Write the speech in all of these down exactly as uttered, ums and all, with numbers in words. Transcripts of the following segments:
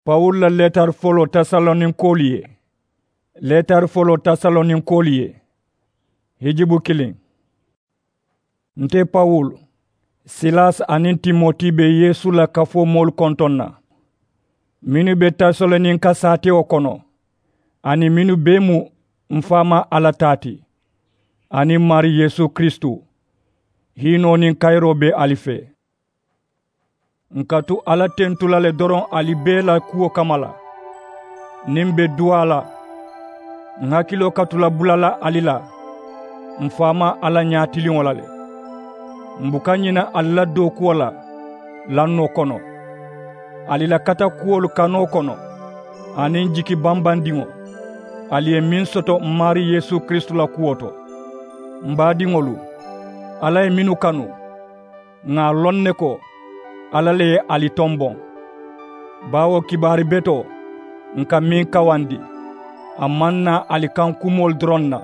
Pawulu la leetari foloo tasaloninkolu ye. Leetari foloo tasaloninkolu ye. Hijibu kiliŋ. Nte pawulu, silasi aniŋ timoti be yeesu la kafoo moolu kontoŋ na, mennu be tasaloninka saatewo kono, aniŋ mennu bee mu m faamaa alla taa ti, aniŋ maarii yeesu kiristu, hiinoo niŋ kayiroo be ali fee. N ka tu alla tentu la le doroŋ ali bee la kuwo kamma la. Niŋ m be duwaa la, n hakiloo ka tu la bula la ali la m faamaa alla ñaatiliŋo la le. M buka ñina ali la dookuwo la lannoo kono, ali la katakuwolu kanoo kono, aniŋ jiki bambandiŋo ali ye meŋ soto m maarii yeesu kiristu la kuwo to. M baadiŋolu, alla ye mennu kanu, ŋà a loŋ ne ko alla le ye ali tomboŋ. Baawo kibaari betoo, n ka meŋ kawandi, a maŋ naa ali kaŋ kumoolu doroŋ na,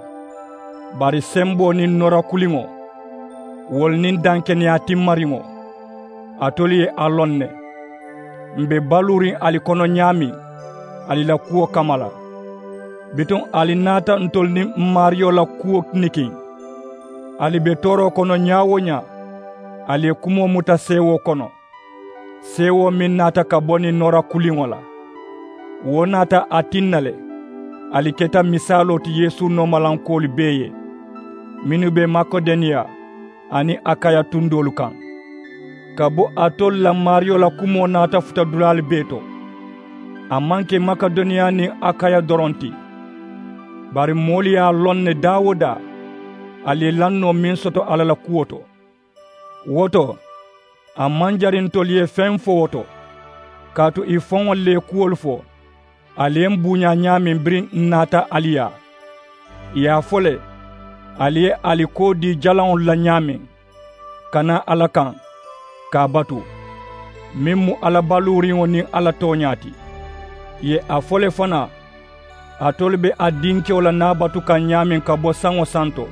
bari semboo niŋ noora kuliŋo, wolu niŋ dankeneyaa timmariŋo, alitolu ye a loŋ ne. M be baluuriŋ ali kono ñaameŋ ali la kuwo kamma la. Bituŋ ali naata ntolu niŋ m maariyo la kuwo nikiŋ. Ali be tooroo kono ñaa-wo-ñaa, ali ye kumoo muta seewoo kono, seewoo meŋ naata ka bo niŋ noora kuliŋo la. Wo naata a tinna le, ali keta misaaloo ti yeesu noomalankoolu bee ye, mennu be makedoniya aniŋ akaya tundoolu kaŋ. Ka bo alitolu la maariyo la kumoo naata futa dulaalu bee to. A maŋ ke makedoniya niŋ akaya doroŋ ti, bari moolu ye a loŋ ne daa-wo-daa ali ye lannoo meŋ soto alla la kuwo to. Wo to, a maŋ jari ntolu ye feŋ fo wo to, kaatu i faŋolu le ye kuwolu fo, ali ye m buuñaa ñaameŋ biriŋ n naata ali yaa. Ì ye a fo le, ali ye ali koo dii jalaŋolu la ñaameŋ, ka naa alla kaŋ, ka a batu, meŋ mu alla baluuriŋo niŋ alla tooñaa ti. Ì ye a fo le fanaa, alitolu be a dinkewo la naabatu kaŋ ñaameŋ ka bo saŋo santo.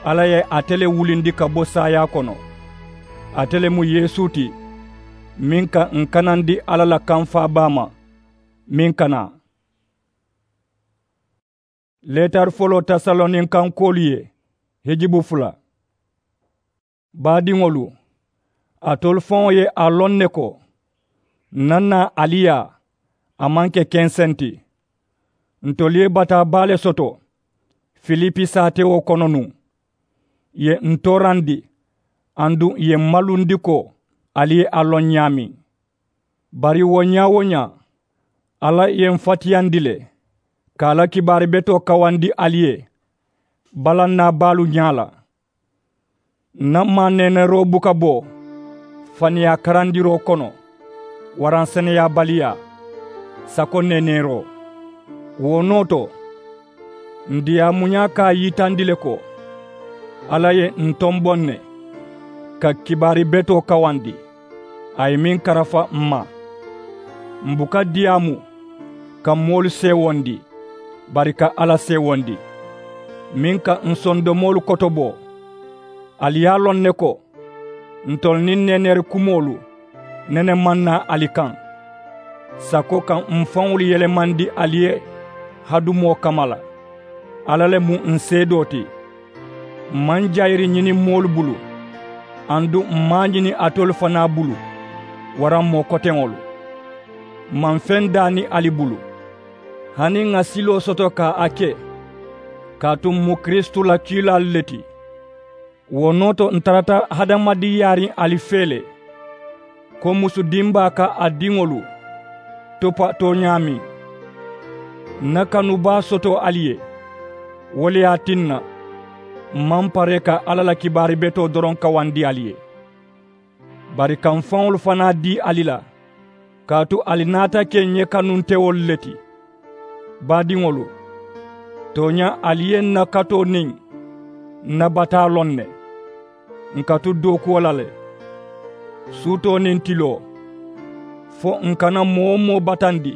Alla ye ate le wulindi ka bo saayaa kono. Ate le mu yeesu ti, meŋ ka n kanandi alla la kamfaa baa ma, meŋ ka naa. Leetari foloo tasaloninkankoolu ye, hijibu fula. Baadiŋolu, alitolu faŋo ye a loŋ ne ko, n na naa ali yaa, a maŋ ke kenseŋ ti. Ntolu ye bataa baa le soto filipi saatewo kono nuŋ. Ì ye n toorandi, aduŋ ì ye m malundi ko ali ye a loŋ ñaameŋ. Bari wo ñaa-wo-ñaa, alla ye m fatiyandi le ka a la kibaari betoo kawandi ali ye balannaa baalu ñaa la. N na maaneeneeroo buka bo faniyaa karandiroo kono, waraŋ seneyaabaliyaa, sako neeneeroo. Wo noo to, n diyaamuñaa ka a yitandi le ko alla ye n tomboŋ ne ka kibaari betoo kawandi, a ye meŋ karafa m ma. M buka diyaamu ka moolu seewondi, bari ka alla seewondi, meŋ ka n sondomoolu kotobo. Ali ye a loŋ ne ko, ntolu niŋ neeneeri kumoolu nene maŋ naa ali kaŋ, sako ka m faŋolu yelemandi ali ye hadumoo kamma la. Alla le mu n seedoo ti. M maŋ jayiri ñini moolu bulu, aduŋ m maŋ a ñini alitolu fanaa bulu, waraŋ moo koteŋolu. M maŋ feŋ daani ali bulu, hani ŋà siloo soto ka a ke, kaatu m mu kiristu la kiilaalu le ti. Wo noo to n tarata hadamadiŋ yaariŋ ali fee le, ko musu dimbaa ka a diŋolu topatoo ñaameŋ. N na kanu baa soto ali ye. Wo le ye a tinna m maŋ paree ka alla la kibaari betoo doroŋ kawandi ali ye, bari ka m faŋolu fanaa dii ali la, kaatu ali naata ke ǹ ye kanuntewolu le ti. Baadiŋolu, tooñaa ali ye n na katoo niŋ n na bataa loŋ ne. N ka tu dookuwo la le, suutoo niŋ tiloo, fo n kana moo-wo-moo batandi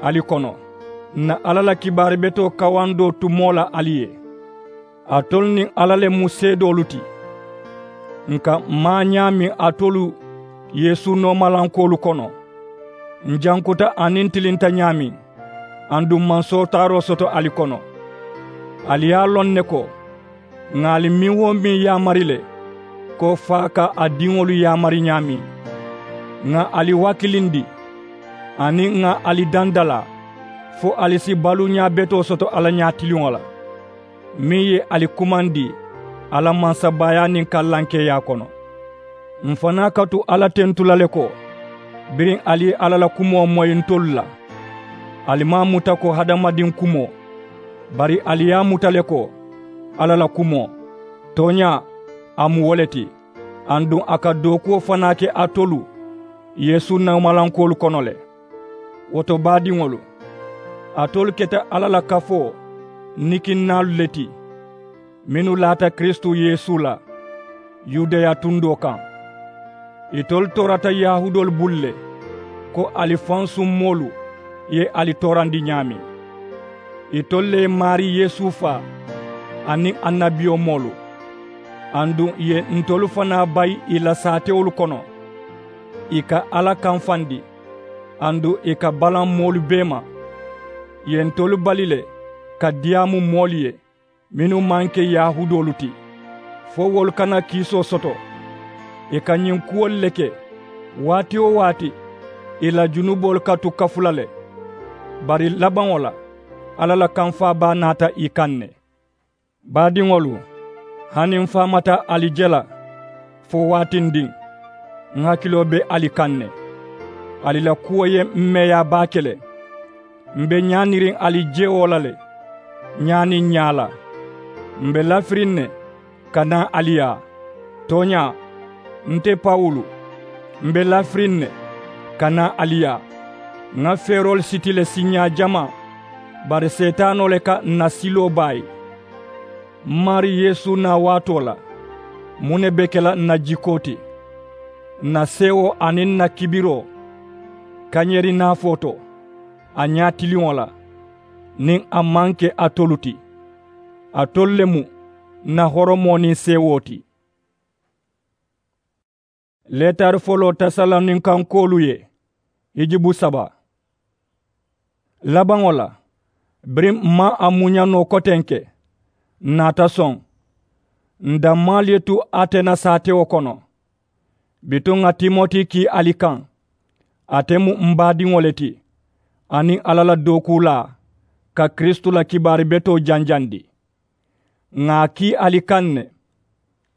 ali kono, n na alla la kibaari betoo kawandoo tumoo la ali ye. Alitolu niŋ alla le mu seedoolu ti. N ka maa ñaameŋ alitolu yeesu noomalankoolu kono, N jankuta aniŋ n tilinta ñaameŋ, aduŋ maŋ sootaaroo soto ali kono. Ali ye a loŋ ne ko, ŋà ali meŋ-wo-meŋ yaamari le, ko fo a ka a diŋolu yaamari ñaameŋ. Ŋà ali wakilindi, aniŋ ŋà ali dandalaa, fo ali si baluuñaa betoo soto alla ñaatiliŋo la, meŋ ye ali kumandi a la mansabaayaa niŋ kallankeeyaa kono. M fanaa ka tu alla tentu la le ko, biriŋ ali ye alla la kumoo moyi ntolu la, ali maŋ a muta ko hadamadiŋ kumoo, bari ali ye a muta le ko alla la kumoo. Tooñaa, a mu wo le ti, aduŋ a ka dookuwo fanaa ke alitolu yeesu neemalankoolu kono le. Wo to, baadiŋolu, alitolu keta alla la kafoo nikinnaalu le ti, mennu laata kiristu yeesu la yudeya tundoo kaŋ. Itolu toorata yahuudoolu bulu le, ko ali fansuŋ moolu ye ali toorandi ñaameŋ. Itolu le ye maarii yeesu faa, aniŋ annabiyomoolu, aduŋ ì ye ntolu fanaa bayi ì la saatewolu kono, ì ka alla kamfandi, aduŋ ì ka balaŋ moolu bee ma. Ì ye ntolu bali le ka diyaamu moolu ye mennu maŋ ke yahuudoolu ti, fo wolu kana kiisoo soto. Ì ka ñiŋ kuwolu le ke waati-wo-waati, ì la junuboolu ka tu kafu la le. Bari labaŋo la, alla la kamfaa baa naata ì kaŋ ne. Baadiŋolu, hani m faamata ali je la fo waatindiŋ, m hakiloo be ali kaŋ ne. Ali la kuwo ye m meeyaa baake le. M be ñaaniriŋ ali jewo la le, ñaa niŋ ñaa la. M be lafiriŋ ne ka naa ali yaa. Tooñaa, nte pawulu, m be lafiriŋ ne ka naa ali yaa. Ŋa feeroolu siti le siiñaa jamaa, bari seetaanoo le ka ǹ na siloo baayi. M maarii yeesu naa waatoo la, muŋ ne be ke la ǹ na jikoo ti? Ǹ na seewoo aniŋ ǹ na kibiroo kañeeri naafoo to, a ñaatiliŋo la, niŋ a maŋ ke alitolu ti, alitolu le mu ǹ na horomoo niŋ seewoo ti. Leetari foloo tesaloninkankoolu ye hijubu saba. Labaŋo la, biriŋ m maŋ a muña noo kotenke, ǹ naata soŋ. Ǹ dammaalu ye tu atena saatewo kono. Bituŋ ŋa timoti kii ali kaŋ. Ate mu m baadiŋo le ti, aniŋ alla la dookuulaa, ka kiristu la kibaari betoo janjandi. Ŋà a kii ali kaŋ ne,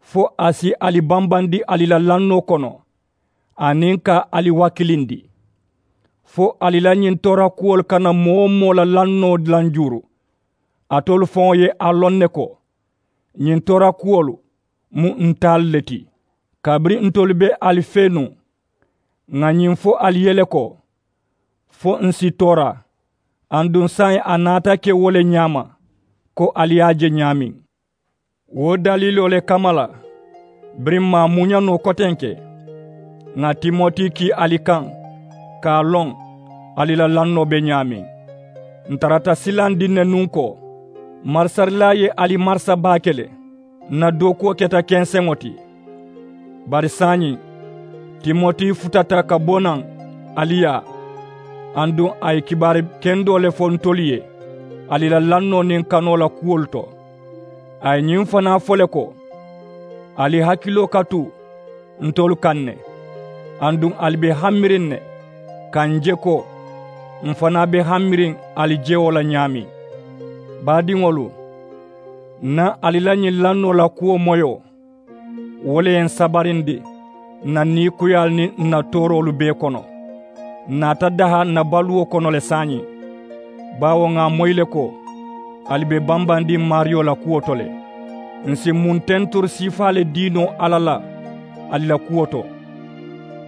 fo a si ali bambandi ali la lannoo kono, aniŋ ka ali wakilindi, fo ali la ñiŋ toorakuwolu kana moo-wo-moo la lannoo lanjuuru. Alitolu faŋo ye a loŋ ne ko, ñiŋ toorakuwolu mu ntaalu le ti. Kabiriŋ ntolu be ali fee nuŋ, ŋà ñiŋ fo ali ye le ko, fo ǹ si toora. Aduŋ saayiŋ a naata ke wo le ñaama, ko ali ye a je ñaameŋ. Wo daliiloo le kamma la, biriŋ m maŋ a muña noo kotenke, ŋà timoti kii ali kaŋ, ka a loŋ ali la lannoo be ñaameŋ. Ǹ tarata silandiŋ ne nuŋ ko, marisarilaa ye ali marisa baake le. Ǹ na dookuwo keta kenseŋo ti. Bari saayiŋ, timoti futata ka bo naŋ ali yaa, aduŋ a ye kibaari kendoo le fo ntolu ye ali la lannoo niŋ kanoo la kuwolu to. A ye ñiŋ fanaa fo le ko, ali hakiloo ka tu ntolu kaŋ ne, aduŋ ali be hamiriŋ ne ka ǹ je ko, m fanaa be hamiriŋ ali jewo la ñaameŋ. Baadiŋolu, ǹ na ali la ñiŋ lannoo la kuwo moyoo, wo le ye ǹ sabarindi ǹ na niikuyaalu niŋ ǹ na tooroolu bee kono. Ǹ naata daha ǹ na baluwo kono le saayiŋ, baawo ŋà a moyi le ko, ali be bambandiŋ maariyo la kuwo to le. Ǹ si muŋ tenturi siifaa le dii noo alla la ali la kuwo to?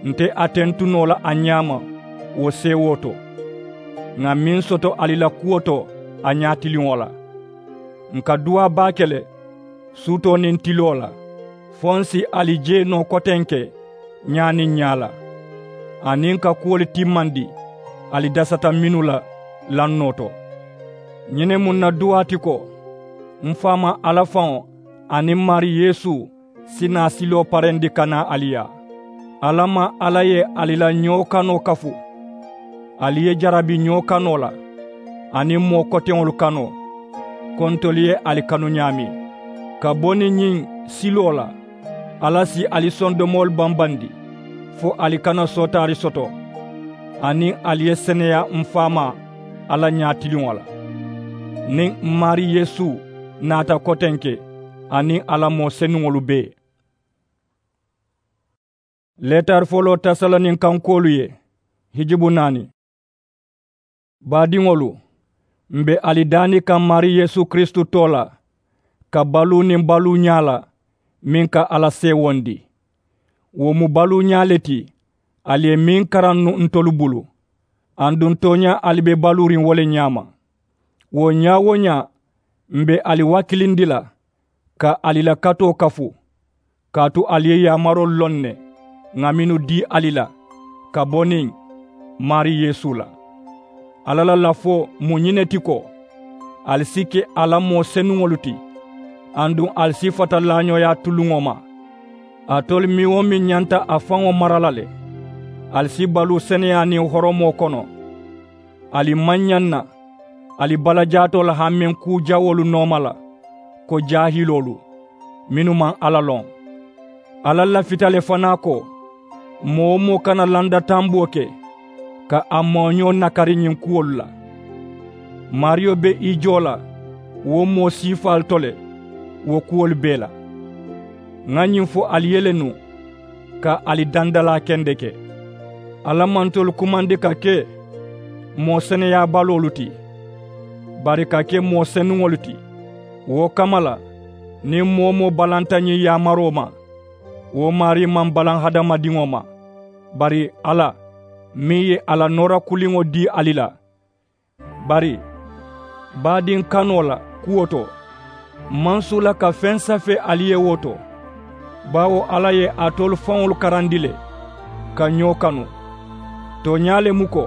Nte a tentu noo la a ñaama wo seewoo to, ŋà meŋ soto ali la kuwo to a ñaatiliŋo la. Ǹ ka duwaa baake le suutoo niŋ tiloo la, fo ǹ si ali jee noo kotenke ñaa niŋ ñaa la, aniŋ ka kuwolu timmandi ali dasata mennu la lannoo to. Ñiŋ ne mu ǹ na duwaa ti ko, m faamaa alla faŋo aniŋ maarii yeesu si naa siloo parendi ka naa ali yaa. Alla maŋ alla ye ali la ñoo kanoo kafu Ali ye jarabi ñoo kanoo la aniŋ moo koteŋolu kanoo, ko ntolu ye ali kanu ñaameŋ. Ka bo niŋ ñiŋ siloo la, alla si ali sondomoolu bambandi fo ali kana sootaari soto, aniŋ ali ye seneyaa m faamaa alla ñaatiliŋo la. Niŋ m maarii yeesu naata kotenke aniŋ a la moo senuŋolu bee. Leetari foloo tasaloninkankoolu ye hijubu naani. Baadiŋolu, m be ali daani kaŋ maarii yeesu kiristu too la, ka baluu niŋ baluu ñaa la meŋ ka alla seewondi. Wo mu baluu ñaa le ti ali ye meŋ karaŋ nuŋ ntolu bulu, aduŋ tooñaa ali be baluuriŋ wo le ñaama. Wo ñaa-wo-ñaa, m be ali wakilindi la ka ali la katoo kafu, kaatu ali ye yaamaroolu loŋ ne ŋà mennu dii ali la ka bo niŋ maarii yeesu la. Alla la lafoo mu ñiŋ ne ti ko, ali si ke a la moo senuŋolu ti, aduŋ ali si fata laañooyaa tuluŋo ma. Alitolu meŋ-wo-meŋ ñanta a faŋo mara la le, ali si baluu seneyaa niŋ horomoo kono. Ali maŋ ñaŋ na ali balajaatoo la hameŋ kuu jawoolu nooma la ko jaahiloolu mennu maŋ alla loŋ. Alla lafita le fanaa ko moo-wo-moo kana landa tamboo ke ka a mooñoo nakari ñiŋ kuwolu la. Maariyo be i joo la wo moo siifaalu to le wo kuwolu bee la. Ŋa ñiŋ fo ali ye le nuŋ ka ali dandalaa kendeke. Alla maŋ ntolu kumandi ka ke moo seneyaabaluwolu ti, bari ka ke moo senuŋolu ti. Wo kamma la, niŋ moo-wo-moo balanta ñiŋ yaamaroo ma, wo maarii maŋ balaŋ hadamadiŋo ma, bari alla meŋ ye a la noora kuliŋo dii ali la. Bari baadiŋ kanoo la kuwo to, m maŋ suula ka feŋ safee ali ye wo to, baawo alla ye alitolu faŋolu karandi le ka ñoo kanu. Tooñaa le mu ko,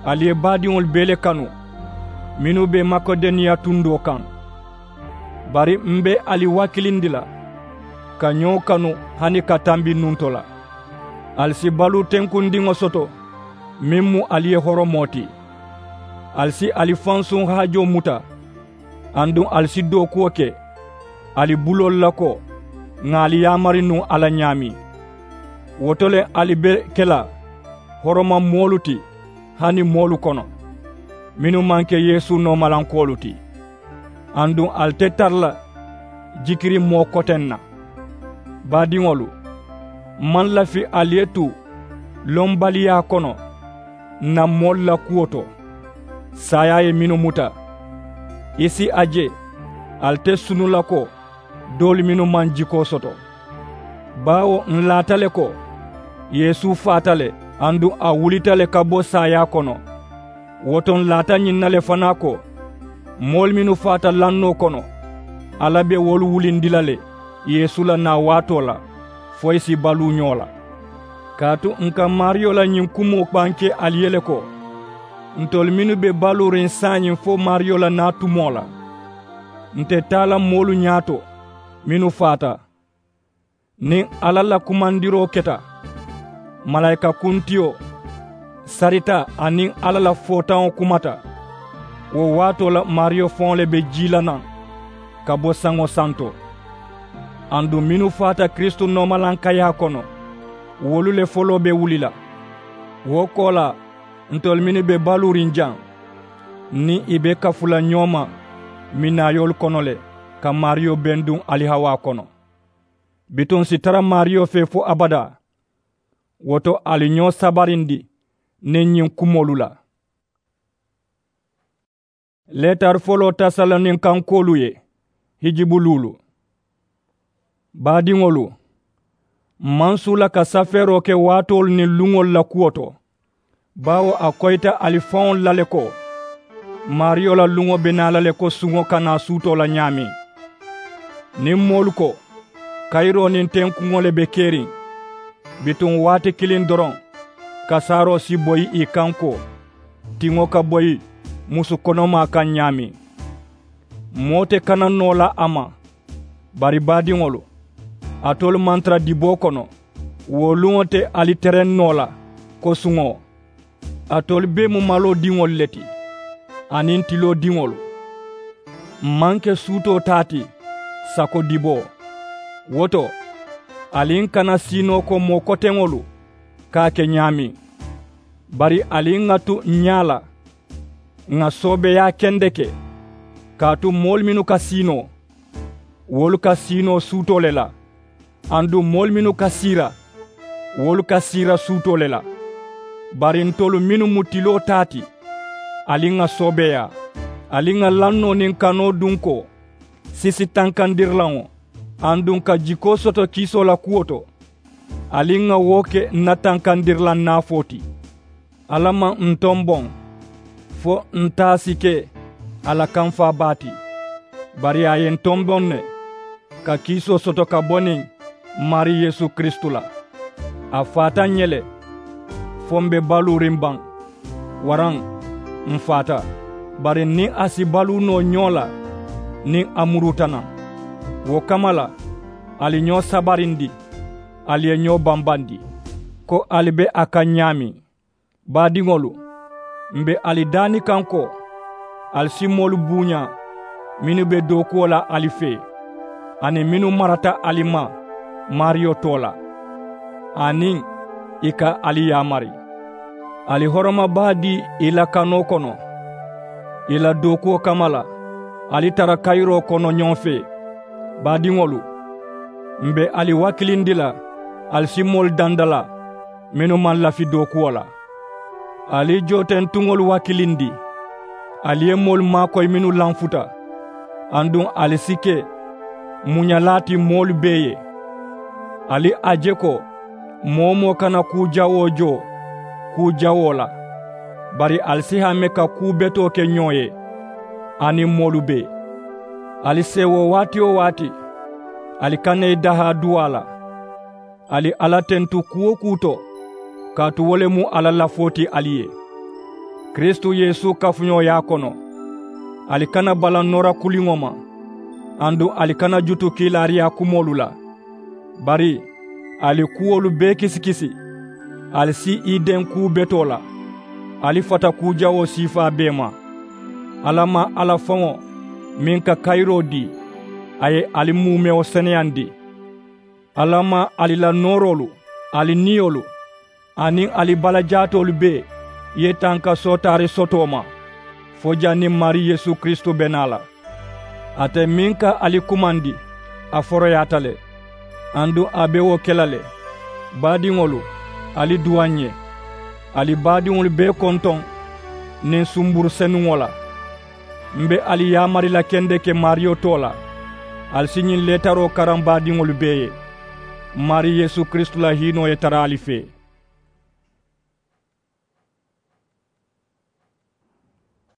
ali ye baadiŋolu bee le kanu mennu be makedoniya tundoo kaŋ. Bari m be ali wakilindi la ka ñoo kanu hani ka tambi nuŋ to la. Ali si baluu tenkundiŋo soto meŋ mu ali ye horomoo ti. Ali si ali fansuŋ haajoo muta, aduŋ ali si dookuwo ke ali buloolu la ko ŋà ali yaamari nuŋ alla ñaameŋ. Wo to le ali be ke la horoma moolu ti hani moolu kono, mennu maŋ ke yeesu noomalankoolu ti. Aduŋ ali te tara la jikiriŋ moo koteŋ na. Baadiŋolu, m maŋ lafi ali ye tu lombaliyaa kono n na moolu la kuwo to, saayaa ye mennu muta, i si a je ali te sunu la ko doolu mennu maŋ jikoo soto. Baawo n laata le ko yeesu faata le, aduŋ a wulita le ka bo saayaa kono. Wo to n laata ñiŋ na le fanaa ko moolu mennu faata lannoo kono, alla be wolu wulindi la le yeesu la naa waatoo la fo i si baluu ñoo la. Kaatu n ka maariyo la ñiŋ kumoo bankee ali ye le ko, ntolu mennu be baluuriŋ saayiŋ fo maariyo la naa tumoo la, nte taa la moolu ñaato mennu faata. Niŋ alla la kumandiroo keta, malaayika kuntiyo sarita aniŋ alla la footaŋo kumata, wo waatoo la maariyo faŋo le be jii la naŋ ka bo saŋo santo. Aduŋ mennu faata kiristu noomalankayaa kono, wolu le foloo be wuli la. Wo koolaa, ntolu mennu be baluuriŋ jaŋ, n niŋ i be kafu la ñoo ma minaayoolu kono le ka maariyo benduŋ ali hawaa kono. Bituŋ n si tara maariyo fee fo abadaa. Wo to ali ñoo sabarindi niŋ ñiŋ kumoolu la. Leetari foloo tasaloninkankoolu ye hijibu luulu. Baadiŋolu, m maŋ suula ka safeeroo ke waatoolu niŋ luŋolu la kuwo to, baawo a koyita ali faŋolu la le ko maariyo la luŋo be naa la le ko suŋo ka naa suutoo la ñaameŋ. Niŋ moolu ko kayiroo niŋ tenkuŋo le be keriŋ, bituŋ waati kiliŋ doroŋ kasaaroo si boyi ì kaŋ ko tiŋo ka boyi musu konomaa kaŋ ñaameŋ. Moo te kana noo la a ma. Bari baadiŋolu, alitolu maŋ tara diboo kono wo luŋo te ali tereŋ noo la ko suŋo. Alitolu bee mu maloo diŋolu le ti aniŋ tiloo diŋolu. M maŋ ke suutoo taa ti sako diboo. Wo to, ali n kana siinoo ko moo koteŋolu ka a ke ñaameŋ. Bari ali n ŋa tu ñaa la ŋà soobeeyaa kendeke, kaatu moolu mennu ka siinoo, wolu ka siinoo suutoo le la. Aduŋ moolu mennu ka siira, wolu ka siira suutoo le la. Bari ntolu mennu mu tiloo taa ti, ali ŋà soobeeyaa, ali ŋà lannoo niŋ kanoo dunkoo sisi tankandirilaŋo, aduŋ ka jikoo soto kiisoo la kuwo to, ali ŋà wo ke ǹ na tankandirilaŋ naafoo ti. Alla maŋ ǹ tomboŋ fo ǹ taa si ke a la kamfaa baa ti. Bari a ye ǹ tomboŋ ne ka kiisoo soto ka bo niŋ maarii yeesu kiristu la. A faata ǹ ye le fo m̀ be baluuriŋ baŋ, waraŋ m̀ faata. Bari niŋ a si baluu noo ñoo la niŋ a muruuta naŋ. Wo kamma la, ali ñoo sabarindi, ali ye ñoo bambandi, ko ali be a kaŋ ñaameŋ. Baadiŋolu, m̀ be ali daani kaŋ ko ali si moolu buuñaa mennu be dookuwo la ali fee, aniŋ mennu marata ali ma maariyo too la, aniŋ ì ka ali yaamari. Ali horoma baa dii ì la kanoo kono, ì la dookuwo kamma la ali tara kayiroo kono ñoo fee. Baadiŋolu, m̀ be ali wakilindi la ali si moolu dandalaa mennu maŋ lafi dookuwo la. Ali jootentuŋolu wakilindi, ali ye moolu maakoyi mennu lanfuta, aduŋ ali si ke muñalaa ti moolu bee ye. Ali a je ko moo-wo-moo kana kuu jawoo joo kuu jawoo la, bari ali si hame ka kuu betoo ke ñoo ye aniŋ moolu bee. Ali seewoo waati-wo-waati, ali kana i dahaa duwaa la. Ali alla tentu kuu-wo-kuu to, kaatu wo le mu alla lafoo ti ali ye kiristu yeesu kafuñooyaa kono. Ali kana bala noora kuliŋo ma, aduŋ ali kana jutu kiilaariyaa kumoolu la. Bari ali kuwolu bee kisikisi, ali si i deŋ kuu betoo la. Ali fata kuu jawoo siifaa bee ma. Alla maŋ alla faŋo meŋ ka kayiroo dii, a ye ali muumewo seneyandi. Alla maŋ ali la nooroolu, ali niyolu, aniŋ ali balajaatoolu bee ye tanka sootaari sotoo ma, fo janniŋ maarii yeesu kiristu be naa la. Ate meŋ ka ali kumandi, a foroyaata le, aduŋ a be wo ke la le. Baadiŋolu, ali duwaa ǹ ye. Ali baadiŋolu bee kontoŋ niŋ sumburu senuŋo la. M̀ be ali yaamari la kendeke maariyo too la, ali si ñiŋ leetaroo karaŋ baadiŋolu bee ye. Maarii yeesu kiristu la hiinoo ye tara ali fee.